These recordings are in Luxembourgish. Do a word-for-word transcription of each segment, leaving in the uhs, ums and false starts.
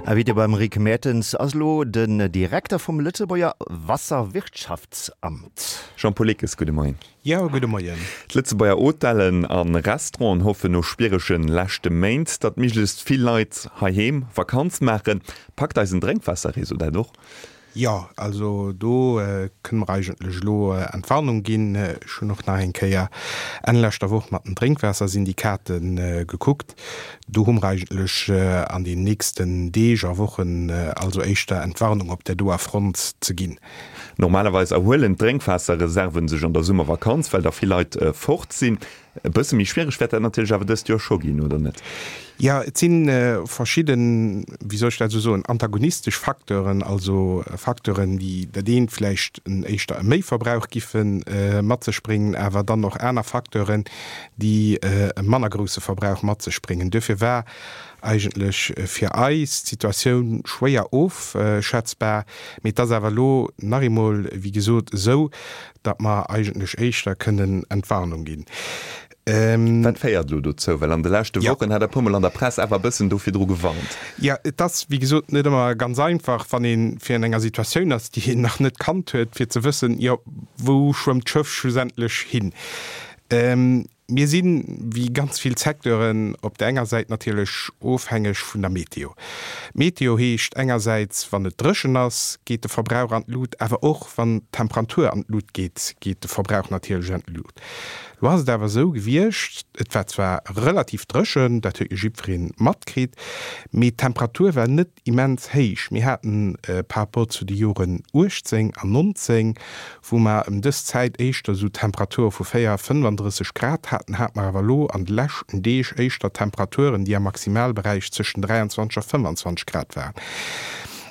Invité beim Rick Mertens ass elo den Direkter vum Lëtzebuerger Wasserwirtschaftsamt. Jean-Paul Lickes, gudde Moien. Jo, gudde Moien. D'Lëtzebuerger Hotellen a Restauranten hoffen no schwierege leschte Méint, datt méiglechst vill Leit heiheem Vakanz maachen. Packt eisen Drénkwaasserreseau dat och? Jo, also do kënne mer eigentlech elo Entwarnung ginn. Ech hunn och nach eng Kéier Enn leschter Woch mat den Drénkwaassersyndikate gekuckt. Do hu mer eigentlech an den nächsten Deeg a Wochen also éischter Entwarnung op där doer Front ze ginn. Normalerweis erhuelen d'Drénkwaasserreserven sech an der Summervakanz, well da vill Leit fort sinn. E bësse méi schwiereg wäert dat natierlech awer dëst Joer scho ginn, oder net? Jo, et si verschidden, wéi soll ech dat esou soen, antagonistesch Facteuren, also Facteuren, déi dat eent vläicht en éischter e Méiverbrauch giffe mat sech bréngen, awer dann och aner Facteuren, déi e manner grousse Verbrauch mat sech bréngen. Duerfir war eigentlech fir eis d'Situatioun schwéier ofschätzbar. Mee et ass awer elo nach eemol, wéi gesot, esou, datt mer eigentlech éischter kënnen Entwarnung ginn. Wat féiert elo dozou? Well an de leschte Wochen hat Der e puermol an der Press awer e bëssen do virdru gewarnt. Jo, et ass, wéi gesot, net ëmmer ganz einfach, wann ee fir an enger Situatioun ass, déi een nach net kannt huet, fir ze wëssen, jo, wou schwëmmt d'Schëff schlussendlech hin? Mir sinn, wéi ganz vill Secteuren, op der enger Säit natierlech ofhängeg vun der Meteo. Meteo heescht engersäits, wann et dréchen ass, geet de Verbrauch an d'Lut, awer och wann d'Temperatur an d'Lut geet, geet de Verbrauch natierlech an d'Lut. Lo ass et awer esou gewiescht, et war zwar relativ dréchen, dat huet jo jiddweree matkritt, mee d'Temperatur war net immens héich. Mir haten par rapport zu de Joren uechtzéng an nonzéng, wou mer ëm dës Zäit éischter esou Temperature vu véier, fënnfandrësseg Grad haten, hate mer awer elo an de leschten Deeg éischter Temperaturen, déi am Maximalberäich zwëschen dräianzwanzeg a fënfandzwanzeg Grad waren.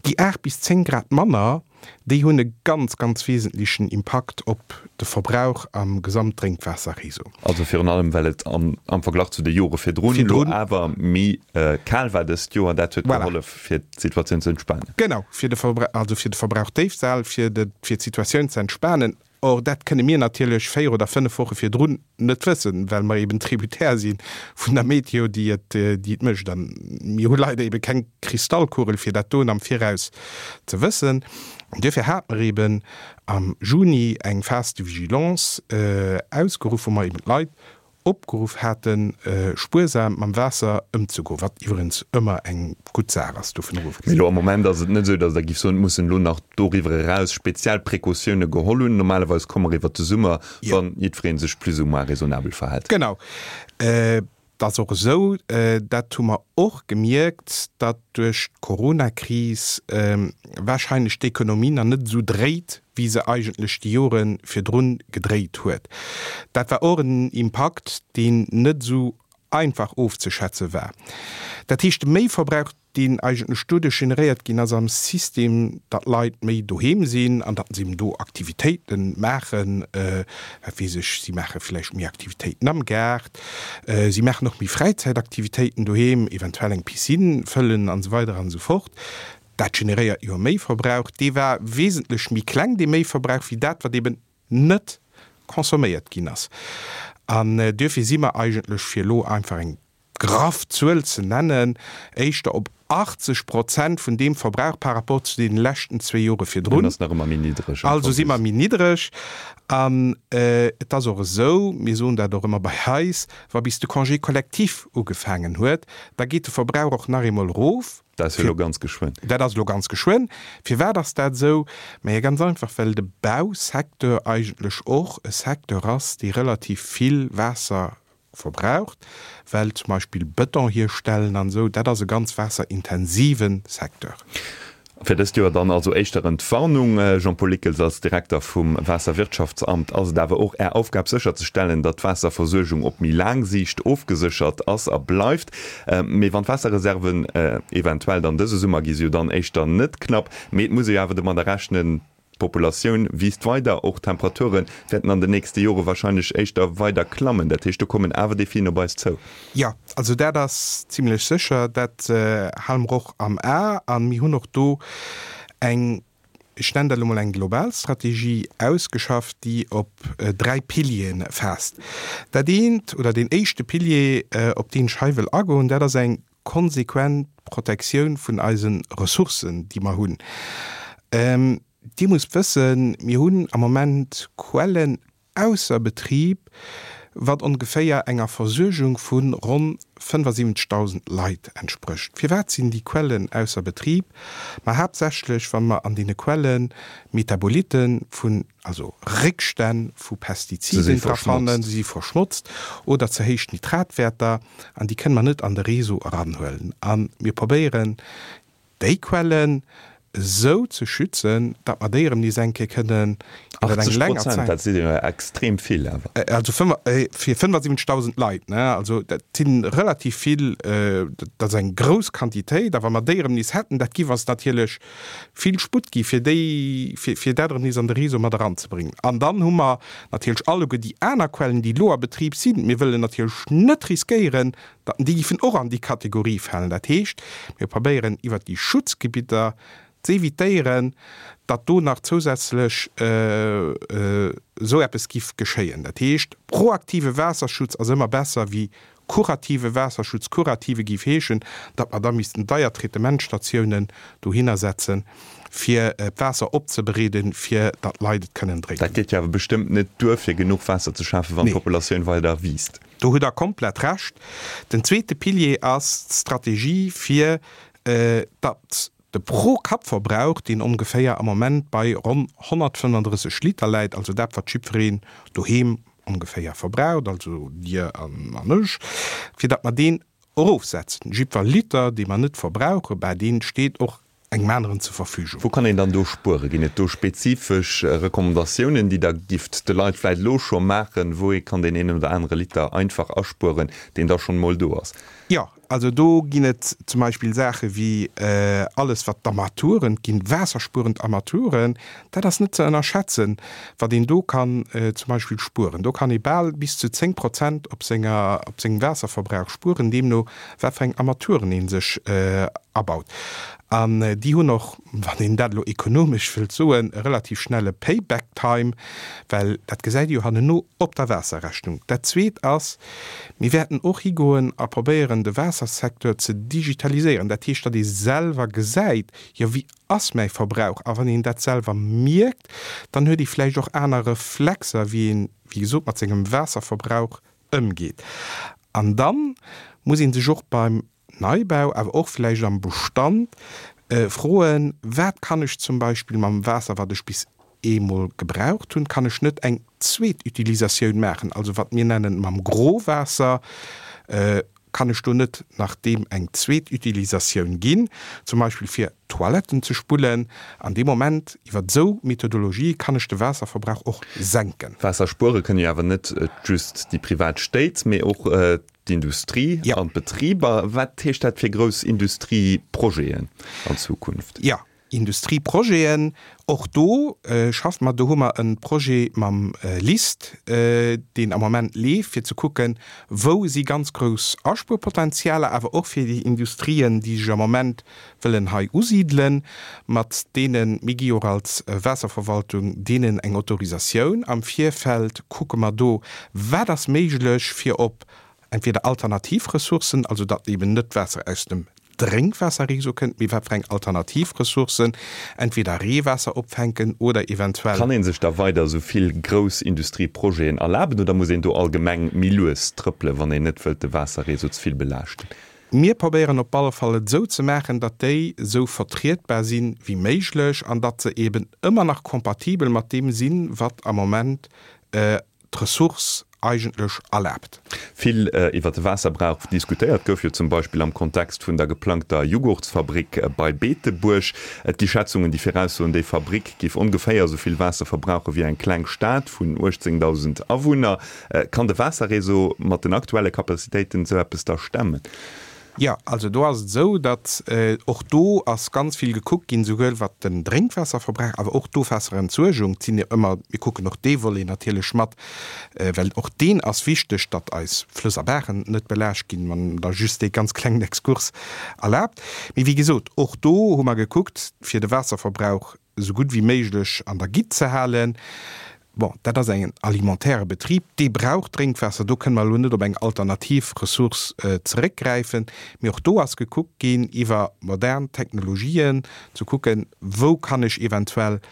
Déi aacht bis zéng Grad manner, déi hunn e ganz, ganz wesentlechen Impakt op de Verbrauch am Gesamtdrénkwaasserreseau. Also virun allem, well et am Verglach zu de Jore virdrun elo awer méi kal war dëst Joer. Dat huet gehollef, fir d'Situatioun ze entspanen. Genau, fir de also fir de Verbrauch déifzehalen, fir d'Situatioun ze entspanen. Or, dat kënne mir natierlech véier oder fënnef Woche virdrun net wëssen, well mer eben Tributaire si vun der Meteo, déi et, déi et mécht. A mir hu leider ebe keng Kristallkugel, fir dat doen am Viraus ze wëssen. An duerfir hate mer eben am Juni eng Phase de vigilance ausgeruff, wou mer eben d'Leit opgeruff haten, spuersam mam Waasser ëmzegoen, wat iwwerens ëmmer eng gutt Saach ass, dovun ofgesinn. Mee elo am Moment ass et net esou, datt Der giff soen, et mussen elo nach doriwwer eraus speziell Precautioune geholl hunn. Normalerweis komme mer iwwert de Summer, wa jiddweree sech plus ou moins raisonnabel verhält. Genau. Et ass och esou, dat hu mer och gemierkt, datt duerch d'Coronakris warscheinlech d'Ekonomie nach net esou dréit, wéi se eigentlech déi Jore virdrun gedréit huet. Dat war och en Impakt, deen net esou einfach ofzeschätze war. Dat heescht, de Méiverbrauch, deen eigentlech doduerch generéiert ginn ass am System, datt Leit méi doheem sinn an datt se eben do Aktivitéite maachen, wat weess ech, si maache vläicht méi Aktivitéiten am Gaart, si maachen och méi Fräizäitaktivitéiten doheem, eventuell eng Piscine fëllen an esou weider an esou fort. Dat generéiert jo e Méiverbrauch. Dee war wesentlech méi kleng, dee Méiverbrauch, wéi dat, wat eben net consomméiert ginn ass. An duerfir si mer eigentlech, fir elo einfach eng graff Zuel ze nennen, éischter op achtzeg Prozent vun deem Verbrauch par rapport zu deene leschten zwee Jore virdrun. Deen ass nach ëmmer méi niddreg. Also si mer méi niddreg. An et ass och esou, mir soen dat och ëmmer bei eis, wa bis de Congé collectif ugefaangen huet, da geet de Verbrauch och nach eemol erof. Dat ass jo elo ganz geschwënn. Dat ass elo ganz geschwënn. Firwat ass dat esou? Majo ganz einfach, well de Bausecteur eigentlech och e Secteur ass, dee relativ vill Waasser verbraucht, well zum Beispill Bëton hierstellen an esou, dat ass e ganz waasserintensive Secteur. Fir dëst Joer dann also éischter Entwarnung. Jean-Paul Lickels, als Direkter vum Waasserwirtschaftsamt ass et awer och Är Aufgab sécherzestellen, datt d'Waasserversuergung op méi laang Siicht ofgeséchert ass a bleift. Mee wann d'Waasserreserven eventuell dann dëse Summer, gi se jo dann éischter net knapp, mee et muss ee jo awer domadder rechnen, d'Populatioun wiisst weider, och d'Temperature wäerten an den nächste Jore wahrscheinlech éischter weider klammen. Dat heescht, do kommen awer Defien op eis zou. Jo, also dat ass zimlech sécher. Dat hale mer och am A. A mir hunn och do eng, ech nennen dat elo mol eng global Strategie ausgeschafft, déi op dräi Piliere faasst. Dat eent oder deen éischte Pilier, op deen ech hei wëll agoen, dat ass eng konsequent Protektioun vun eise Ressourcen, déi mer hunn. Dir musst wëssen, mir hunn am Moment Quellen ausser Betrib, wat ongeféier enger Versuergung vu ronn fënnefasiwwenzegdausend Leit entsprécht. Firwat sinn déi Quellen ausser Betrib? Ma haaptsächlech, wa mer an deene Quelle Metabolite vun, also Réckstänn vu Pestiziden dra fannen, se si verschmotzt, oder ze héich Nitratwäerter, an déi kënne mer net an de Réseau eranhuelen. A mir probéieren, déi Quellen esou ze schützen, datt mer déi erëm nees eng Kéier kënnen iwwer eng länger Zäit. Dat si jo extrem vill awer. Also fir fënnefasiwwenzegdausend Leit, ne? Also dat si relativ vill, dat ass eng grouss Quantitéit. A wa mer déi erëm nees hätten, dat giff eis natierlech vill Sputt gi fir déi, fir dat erëm nees an de Réseau mat eranzebréngen. An dann hu mer natierlech alleguer déi aner Quellen, déi elo a Betrib sinn. Mir wëllen natierlech net riskéieren, datt déi giffen och an déi Kategorie falen. Dat heescht, mir probéieren iwwert déi Schutzgebitter z'évitéieren, datt do nach zousätzlech esou eppes giff geschéien. Dat heescht, proaktive Waasserschutz ass ëmmer besser wéi kurative Waasserschutz. Kurative giff heeschen, datt mer da missten deier Traitementstatiounen dohinner setzen, fir d'Waasser opzebereeden, fir datt d'Leit et kënnen drénken. Dat geet jo awer bestëmmt net duer, fir genuch Waasser ze schafen, wann d'Populatioun weider wiisst. Do hutt Der komplett Recht. Den zweete Pilier ass d'Strategie, fir datt de Pro-Kapp-Verbrauch, deen ongeféier am Moment bei ronn honnertfënnefandrësseg Liter läit, also dat, wat jiddwereen doheem ongeféier verbraucht, also Dir an ech, fir datt mer deen erofsetzen. Jiddwer Liter, dee mer net verbrauchen, bah, dee steet och engem aneren zur Verfügung. Wou kann een dann do spueren? Ginn et do spezifesch Recommandatiounen, déi Der gifft de Leit vläicht elo scho maachen, wou ee kann deen een oder anere Liter einfach aspueren, deen da schonn emol do ass? Jo, also do ginn et zum Beispill Saache wéi alles wat d'Armaturen ginn, waasserspuerend Armaturen, dat ass net ze ënnerschätzen, wat een do kann zum Beispill spueren. Do kann ee bal bis zu zéng Prozent op senger, op sengem Waasserverbrauch spueren, deemno wat fir eng Armaturen ee sech abaut. An déi hunn och, wann een dat elo ekonomesch wëllt soen, e relativ schnelle Payback time, well dat gesäit ee jo hanneno op der Waasserrechnung. Dat Zweet ass, mir wäerten och higoen a probéieren, de Waassersecteur ze digitaliséieren. Dat heescht, datt ee selwer gesäit, jo wéi ass mäi Verbrauch? A wann een dat selwer mierkt, dann huet ee vläicht och aner Reflexer, wéi een, wéi gesot, mat sengem Waasserverbrauch ëmgeet. An da muss ee sech och beim Neibau, awer och vläicht am Bestand, froen, Wat kann ech zum Beispill mam Waasser, wat ech bis eemol gebraucht hunn, kann ech net eng zweet Utilisatioun maachen, also wat mir nennen mam Growaasser, kann ech do net nach deem eng zweet Utilisatioun ginn, zum Beispill fir Toiletten ze spullen? An deem Moment, iwwer esou Methodologie, kann ech de Waasserverbrauch och senken. Waasser spuere kënne jo awer net just déi privat Stéit, mee och d'Industrie an d'Betriber. Wat heescht dat fir grouss Industrieprojeten an Zukunft? Jo, Industrieprojeten, och do schaffe mer. Do hu mer e Projet mam LIST, deen am Moment leeft, fir ze kucken, wou si ganz grouss Aspuerpotenzialer, awer och fir déi Industrien, déi sech am Moment wëllen hei usidelen, mat deenen, mir gi jo och als Waasserverwaltung deenen eng Autorisatioun. Am Virfeld kucke mer do, wat ass méiglech, fir op entweder alternativ Ressourcen, also datt eben net d'Waasser aus dem Drénkwaasserreseau kënnt, mee wat fir eng alternativ Ressourcen, entweder Reewaasser opfänken oder eventuell. Kann ee sech da weider esou vill grouss Industrieprojeten erlaben oder muss een do allgemeng méi lues trëppelen, wann een net wëllt de Waasserreseau ze vill belaaschten? Mir probéieren op alle Fall et esou ze maachen, datt déi esou vertrietbar si wéi méiglech an datt se eben ëmmer nach kompatibel mat deem sinn, wat am Moment d'Ressource eigentlech erlaabt. Vill iwwer de Waasserbrauch diskutéiert gouf jo zum Beispill am Kontext vun der geplangter Jughurtsfabrik bei Beetebuerg. Et gi Schätzungen, déi viraussoen, déi Fabrik géif ongeféier esou vill Waasser verbrauche wéi eng kleng Stad vun uechtzéngdausend Awunner. Kann de Waasserreseau mat den aktuelle Capacitéiten esou eppes da stemmen? Jo, also do ass et esou, datt och do ass ganz vill gekuckt ginn, souwuel wat den Drénkwaasserverbrauch, awer och d'Ofwaasserentsuergung. Et sinn jo ëmmer, mir kucken och dee Volet natierlech mat, well och deen ass wichteg, datt eis Flëss a Baachen net belaascht ginn, wann Der just dee ganz klengen Exkurs erlaabt. Mee wéi gesot, och do hu mer gekuckt, fir de Waasserverbrauch esou gutt wéi méiglech an der Gitt ze halen. Bon, dat ass en alimentaire Betrib, dee brauch Drénkwaasser. Do kënne mer elo net op eng alternativ Ressource zeréckgräifen. Mee och do ass gekuckt ginn, iwwer modern Technologien ze kucken, wou kann ech eventuell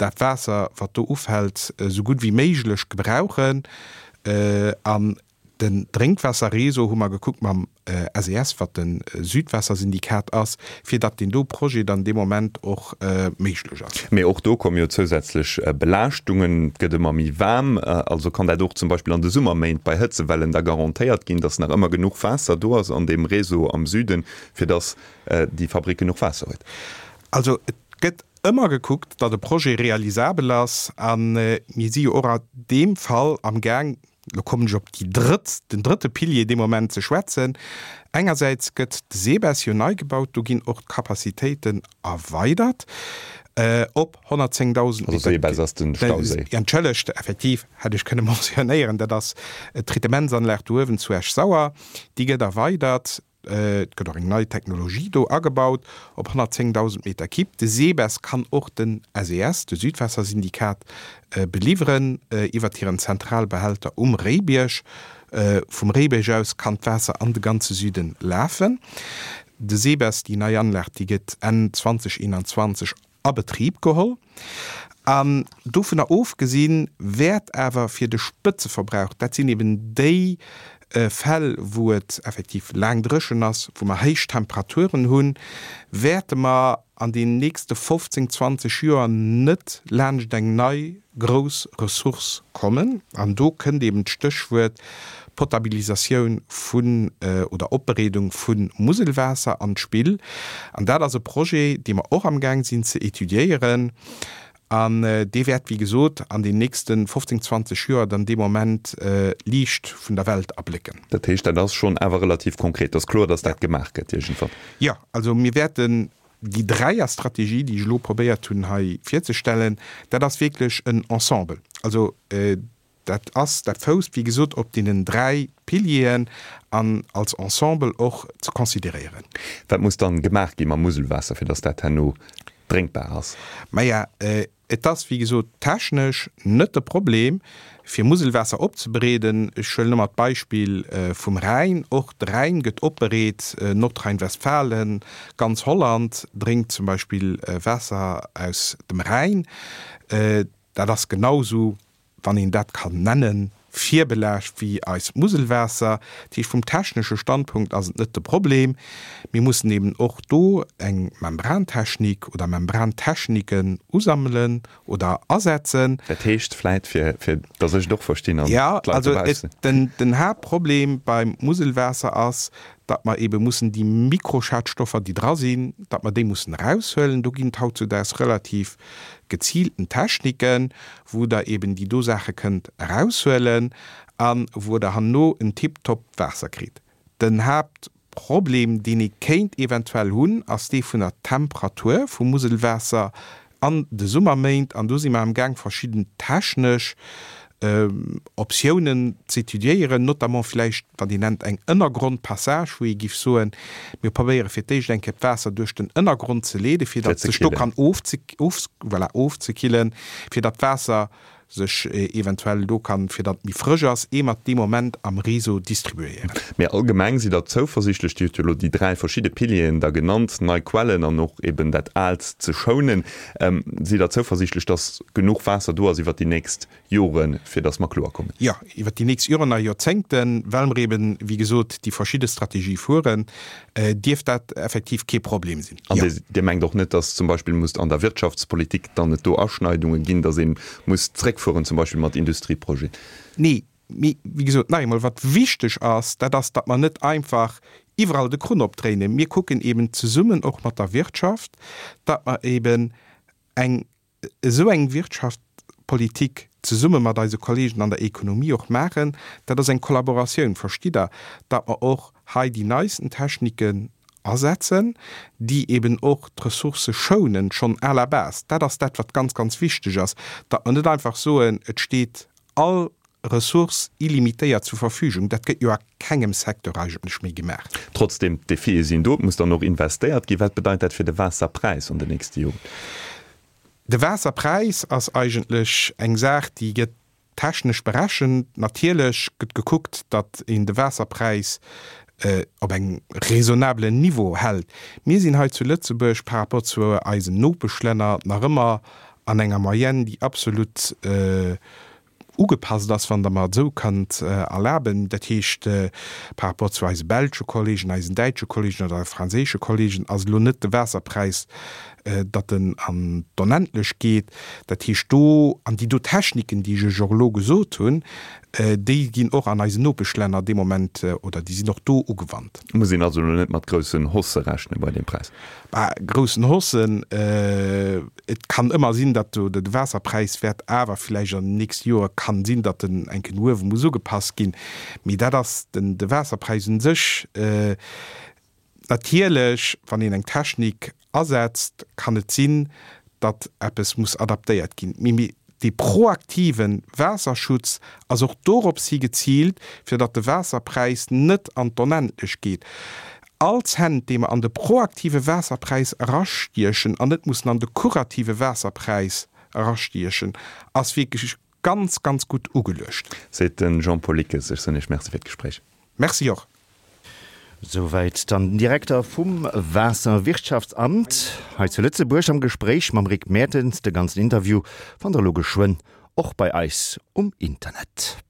dat Waasser, wat do ufält, esou gutt wéi méiglech gebrauchen. An Den Drénkwaasserreseau hu mer gekuckt mam S E S, wat de Südwaassersyndikat ass, fir datt deen do Projet dann dee Moment och méiglech ass. Mee och do komme jo zousätzlech Belaaschtungen. Et gëtt ëmmer méi waarm. Also kann dat och zum Beispill an de Summerméint bei Hëtzewellen da garantéiert ginn, datt nach ëmmer genuch Waasser do ass an deem Réseau am Süden, fir datt déi Fabrick genuch Waasser huet? Also et gëtt ëmmer gekuckt, datt e Projet realisabel ass. A mir si jo och an deem Fall amgaang, Lo kommen ech op déi drëtt, den drëtte Pilier dee Moment ze schwätzen. Engersäits gëtt de SEBES jo nei gebaut, do ginn och d'Capacitéiten erweidert op honnertzéngdausend Also SEBES ass den Stauséi. Entschëllegt, effektiv, hätt ech kënne mentionnéieren, dat ass d'Tritementsanlag do uewen zu Esch-Sauer, déi gëtt erweidert. Et gëtt och eng nei Technologie do agebaut op honnertzéngdausend Meter Kibb. De SEBES kann och den S E S, de Südwaassersyndikat, beliwweren iwwert hiren Zentralbehälter um Réibierg. Vum Réibierg aus kann d'Waasser an de ganze Süden lafen. De SEBES, déi nei Anlag, déi gëtt Enn zweedausendeenanzwanzeg a Betrib geholl. An dovunner ofgesinn wäert awer fir de Spëtzeverbrauch, dat sinn eben déi Fäll wou et effektiv laang dréchen ass, wou mer héich Temperaturen hunn, wäerte mer an den nächste fofzéng, zwanzeg Joer net laanscht eng nei grouss Ressource kommen. An do kënnt eben d'Stéchwuert Potabilisatioun vun oder Opbereedung vu Muselwaasser an d'Spill. An dat ass e Projet, dee mer och amgaang sinn ze étudiéieren. An dee wäert, wéi gesot, an den nächste fofzéng, zwanzeg Joer dann dee Moment d'Liicht vun der Welt erblécken. Dat heescht, dat ass schonn awer relativ konkret, et ass kloer, datt dat gemaach gëtt iergendwann? Jo, also mir wäerten déi Dräierstrategie, déi ech elo probéiert hunn hei virzestellen, dat ass wierklech en Ensemble. Also dat ass, dat fousst, wéi gesot, op deenen dräi Pilieren an als Ensemble och ze consideréieren. Wat muss dann gemaach gi mam Muselwaasser, fir datt dat herno drénkbar ass? Maja, et ass, wéi gesot, technesch net de Problem, fir Muselwaasser opzebereeden. Ech huelen ëmmer d'Beispill vum Rhäin. Och de Rhäin gëtt opbereet, Nordrhein-Westfalen, ganz Holland drénkt zum Beispill Waasser aus dem Rhäin. Dat ass genau esou, wann een dat kann nennen, virbelaascht wéi eist Muselwaasser. Dat heescht, vum technesche Standpunkt ass et net de Problem. Mir mussen eben och do eng Membrantechnik oder Membrantechniken usammelen oder asetzen. Dat heescht vläit, fir fir dass ech et och verstinn an Ja, d'Leit also dobaussen. den, den Haaptproblem beim Muselwaasser ass, datt mer ebe mussen déi Mikroschadstoffer, déi dra sinn, datt mer déi mussen eraushuelen. Do ginn et hautzudaags relativ geziilten Techniken, wou Der eben déi do Saache kënnt eraushuelen a wou Der herno en tiptop Waasser kritt. Den Haaptproblem, deen ee kéint eventuell hunn, ass dee vun der Temperatur vum Muselwaasser an de Summerméint. An do si mer amgaang, verschidden technesch Optiounen z'étudiéieren, notamment vläicht, wat een nennt eng Ënnergrondpassage, wou ee giff soen, mir probéiere fir d'éischt eng Kéier d'Waasser duerch den Ënnergrond ze leeden, fir Fir datt ze sech do killen. kann ofze, voilà, ofzekillen, fir datt d'Waasser sech eventuell do kann, fir datt et méi frësch ass, ier mer et dee Moment am Réseau distribuéieren. Mee allgemeng sidd Der zouversiichtlech, Dir hutt jo elo déi dräi verschidde Pilieren da genannt, nei Quellen an och eben dat Aalt ze schounen, sidd Der zouversiichtlech, datt genuch Waasser do ass iwwert déi nächst Joren, fir datt mer kloer kommen? Jo, iwwert déi nächst Joren a Joerzéngten, well mer eben, wéi gesot, déi verschidde Strategie fueren, dierft dat effektiv kee Problem sinn. An Jo. Dir mengt och net, datt zum Beispill muss an der Wirtschaftspolitik dann et do Aschneidunge ginn, datt ee muss zréckfueren, zum Beispill mat Industrieprojeten? Nee, mee wéi gesot, nach eemol, wat wichteg ass, dat ass, datt mer net einfach iwwerall de Krunn opdréinen. Mir kucken eben zesummen och mat der Wirtschaft, datt mer eben eng esou eng Wirtschaftspolitik zesumme mat eise Kollegen an der Ekonomie och maachen. Dat ass eng Kollaboratioun, verstitt Der, datt mer och hei déi neisten Techniken asetzen, déi eben och d'Ressourcë schounen, schonn à la base. Dat ass dat, wat ganz, ganz wichteg ass, datt mer net einfach soen, et steet all Ressource illimitéiert zur Verfügung. Dat gëtt jo a kengem Secteur eigentlech méi gemaach. Trotzdem, d'Defie sinn do, et muss dann och investéiert ginn. Wat bedeit dat fir de Waasserpräis an den nächste Joren? De Waasserpräis ass eigentlech eng Saach, déi gëtt technesch berechent. Natierlech gëtt gekuckt, datt een de Waasserpräis op engem raisonnablen Niveau hält. Mir sinn hei zu Lëtzebuerg par rapport zu eisen Nopeschlänner nach ëmmer an enger Moyenne, déi absolut ugepasst ass, wann Der mer et esou kënnt erlaben. Dat heescht, par rapport zu eise belsche Kollegen, eisen däitsche Kollegen oder franséische Kollegen ass elo net de Waasserpräis, datt en an d'Onendlech geet. Dat heescht do, an déi do Techniken, déi ech Iech och elo gesot hunn, déi ginn och an eisen Nopeschlänner dee Moment, oder déi sinn och do ugewannt. Muss een also elo net mat groussen Haussë rechne bei deem Präis? Bah, groussen Haussen, et kann ëmmer sinn, datt do de Waasserpräis wäert awer villäicht an den nächste Joer, kann sinn, datt en eng Kéier no uewe muss ugepasst ginn, mee dat ass den de Waasserpräis un sech. Natierlech, wann een eng Technik asetzt, kann et sinn, datt eppes muss adaptéiert ginn. Mee dee proaktive Waasserschutz ass och dorops hi geziilt, fir datt de Waasserpräis net an d'Onendlech geet. All Cent, dee mer an de proaktive Waasserpräis erastiechen an net mussen an de kurative Waasserpräis erastiechen, ass wierklech ganz, ganz gutt ugeluecht. Seet de Jean-Paul Lickes. Ech soen Iech Merci fir d'Gespréich. Merci och. Souwäit dann den Direkter vum Waasserwirtschaftsamt hei zu Lëtzebuerg am Gespréich mam Rick Mertens. De ganzen Interview fannt der elo geschwënn och bei eis um Internet.